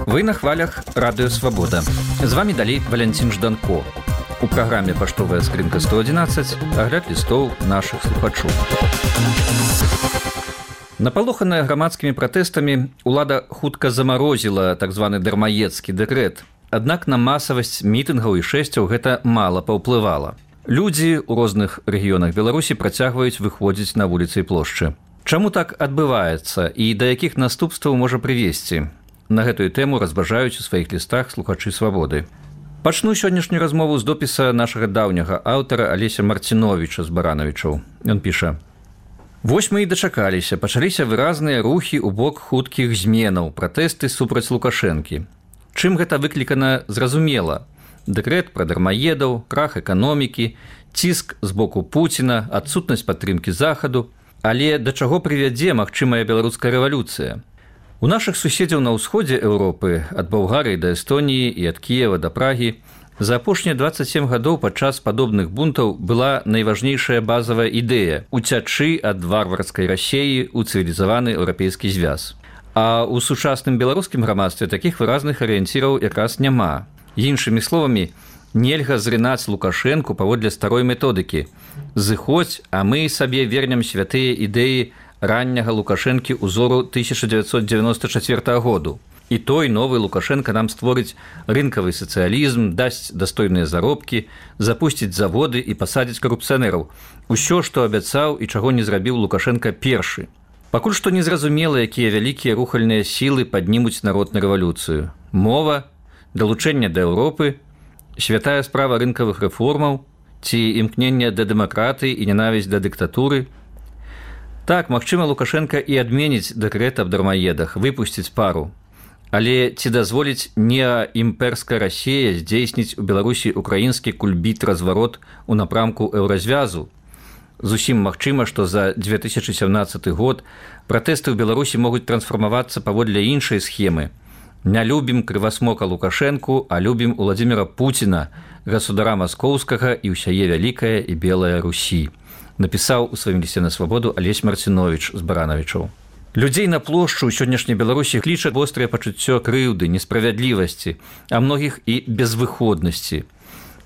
Вы на хвалях Радыё Свабода. З вами далей Валянцін Жданко. У праграме «Паштовая скрынка 111» агляд лістоў нашых слухачоў. Напалоханая грамадскімі пратэстамі, улада хутка замарозіла так званы дармаедскі дэкрэт. Аднак на масавасць мітынгаў і шэсцяў гэта мала паўплывала. Людзі ў розных рэгіёнах Беларусі працягваюць выходзіць на вуліцы і плошчы. Чаму так адбываецца і да якіх наступстваў можа прывесці? На гэтую тэму разважаюць у сваіх лістах слухачы Свабоды. Пачну сённяшнюю размову з допіса нашага даўняга аўтара Алеся Марціновіча з Баранавічаў. Ён піша: «Вось мы і дачакаліся, пачаліся выразныя рухі ў бок хуткіх зменаў, пратэсты супраць Лукашэнкі. Чым гэта выклікана, зразумела. Дэкрэт пра дармаедаў, крах эканомікі, ціск з боку Пуціна, адсутнасць падтрымкі захаду. Але да чаго прывядзе магчымая беларуская рэвалюцыя? У нашых суседзяў на ўсходзе Еўропы, ад Балгарыі да Эстоніі і ад Кіева да Прагі, за апошнія 27 гадоў падчас падобных бунтаў была найважнейшая базавая ідэя – уцячы ад варварскай Расеі ў цывілізаваны еўрапейскі звяз. А ў сучасным беларускім грамадстве такіх выразных арыенціраў якраз няма. Іншымі словамі, нельга зрынаць Лукашэнку паводле старой методыкі. Зыходзь, а мы сабе вернем святыя ідэі ранняга Лукашэнкі ўзору 1994 году. І той новы Лукашэнка нам створыць рынкавы сацыялізм, дасць дастойныя заробкі, запусціць заводы і пасадзіць карупцыянераў. Усё, што абяцаў і чаго не зрабіў Лукашэнка першы. Пакуль што незразумела, якія вялікія рухальныя сілы паднімуць народ на рэвалюцыю. Мова, далучэнне да Еўропы, святая справа рынкавых рэформаў ці імкнення да дэмакратыі і ненавісць да дыктатуры. Так, магчыма, Лукашэнка і адменіць дэкрэт аб дармаедах, выпусціць пару. Але ці дазволіць неаімперская Расея здзейсніць у Беларусі украінскі кульбіт-разварот у напрамку еўразвязу? Зусім магчыма, што за 2017 год пратэсты ў Беларусі могуць трансфармавацца паводле іншай схемы. Не любім крывасмока Лукашэнку, а любім Уладзіміра Пуціна, государа маскоўскага і ўсяе вялікая і белая Русі. Напісаў у сваім лісце на Свабоду Алесь Марціновіч з Баранавічаў. Людзей на плошчу ў сённяшняй Беларусі кліча вострае пачуццё крыўды, несправядлівасці, а многіх і безвыходнасці.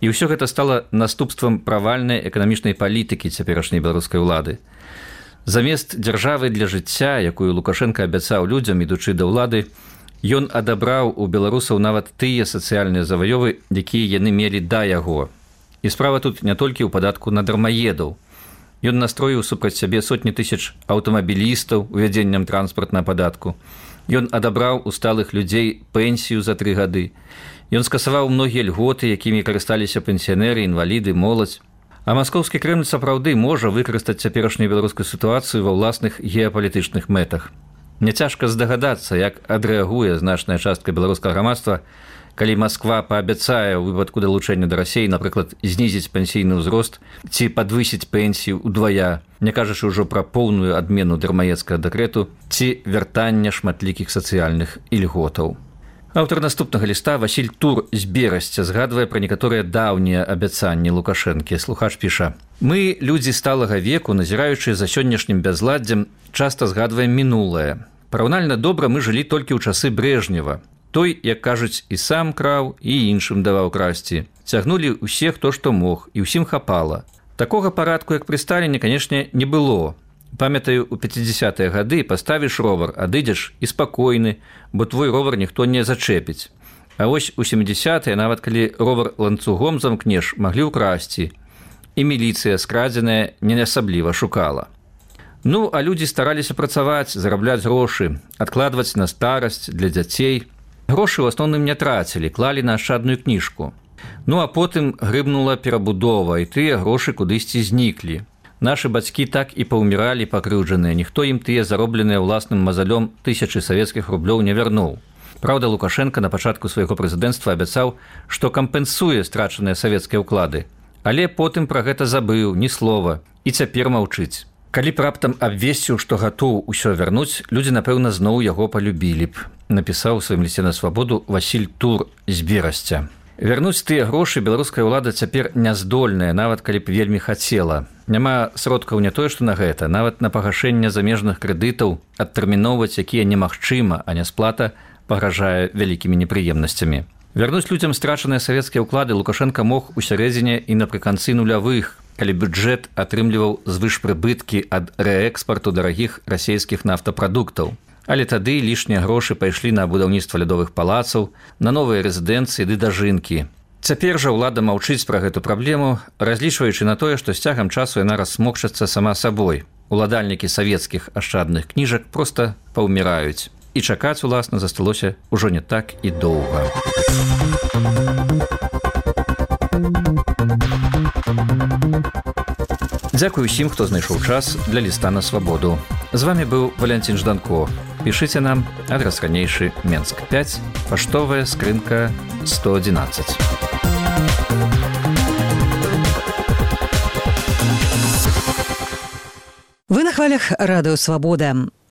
І ўсё гэта стала наступствам правальнай эканамічнай палітыкі цяперашняй беларускай улады. Замест дзяржавы для жыцця, якую Лукашэнка абяцаў людзям, ідучы да ўлады, ён адабраў у беларусаў нават тыя сацыяльныя заваёвы, якія яны мелі да яго. І справа тут не толькі ў падатку на дармаедаў. Ён настроіў супраць сябе сотні тысяч аўтамабілістаў увядзеннем транспартнага падатку. Ён адабраў у сталых людзей пенсію за 3 гады. Ён скасаваў многія льготы, якімі карысталіся пенсіянеры, інваліды, моладзь. А маскоўскі Крэмль сапраўды можа выкарыстаць цяперашнюю беларускую сітуацыю ва ўласных геапалітычных мэтах. Няцяжка здагадацца, як адрэагуе значная частка беларускага грамадства, калі Масква паабяцае ў выпадку далучэння да Расеі, напрыклад, знізіць пенсійны ўзрост ці падвысіць пенсію ўдвая, не кажучы ўжо пра поўную адмену дармаедскага дэкрэту ці вяртання шматлікіх сацыяльных ільготаў. Аўтар наступнага ліста Васіль Тур з Берасця згадвае пра некаторыя даўнія абяцанні Лукашэнкі. Слухач піша: «Мы, людзі сталага веку, назіраючы за сённяшнім бязладдзем, часта згадваем мінулае. Параўнальна добра мы жылі толькі ў часы Брэжнева. Той, як кажуць, і сам краў, і іншым даваў красці. Цягнулі ўсе, хто што мог, і ўсім хапала. Такога парадку, як пры Сталіне, канешне, не было. Памятаю, у 50-е гады паставіш ровар, адыдзеш і спакойны, бо твой ровар ніхто не зачэпіць. А вось у 70-е, нават калі ровар ланцугом замкнеш, маглі ўкрасці. І міліцыя скрадзеная не асабліва шукала. Ну, а людзі стараліся працаваць, зарабляць грошы, адкладваць на старасць для дзяцей. Грошы ў асноўным не трацілі, клалі на ашчадную кніжку. Ну, а потым грыбнула перабудова, і тыя грошы кудысьці зніклі. Нашы бацькі так і паўміралі пакрыўджаныя, ніхто ім тыя заробленыя ўласным мазалём тысячы савецкіх рублёў не вярнуў. Праўда, Лукашэнка на пачатку свайго прэзідэнцтва абяцаў, што кампенсуе страчаныя савецкія ўклады. Але потым пра гэта забыў, ні слова, і цяпер маўчыць. Калі б раптам абвесціў, што гатоў усё вярнуць, людзі, напэўна, зноў яго палюбілі б, напісаў у сваім лісце на Свабоду Васіль Тур з Берасця. Вярнуць тыя грошы беларуская ўлада цяпер няздольная, нават калі б вельмі хацела. Няма сродкаў не тое, што на гэта, нават на пагашэнне замежных крэдытаў адтэрміноўваць, якія немагчыма, а нясплата пагражае вялікімі непрыемнасцямі. Вярнуць людзям страчаныя савецкія ўклады Лукашенка мог у сярэдзіне і напрыканцы нулявых, калі бюджэт атрымліваў звышпрыбыткі ад рээкспарту дарагіх расійскіх нафтапрадуктаў. Але тады лішнія грошы пайшлі на будаўніцтва лядовых палацаў, на новыя рэзідэнцыі ды дажынкі. Цяпер жа ўлада маўчыць пра гэту праблему, разлічваючы на тое, што з цягам часу яна рассмокчацца сама сабой. Уладальнікі савецкіх ашчадных кніжак проста паўміраюць. І чакаць, уласна, засталося ўжо не так і доўга. Дзякую усім, хто знайшоў час для ліста на свабоду. З вами быў Валянцін Жданко. Пішыце нам, адрас ранейшы Менск 5, паштовая скрынка 111. Вы на хвалях радыё «Свабода».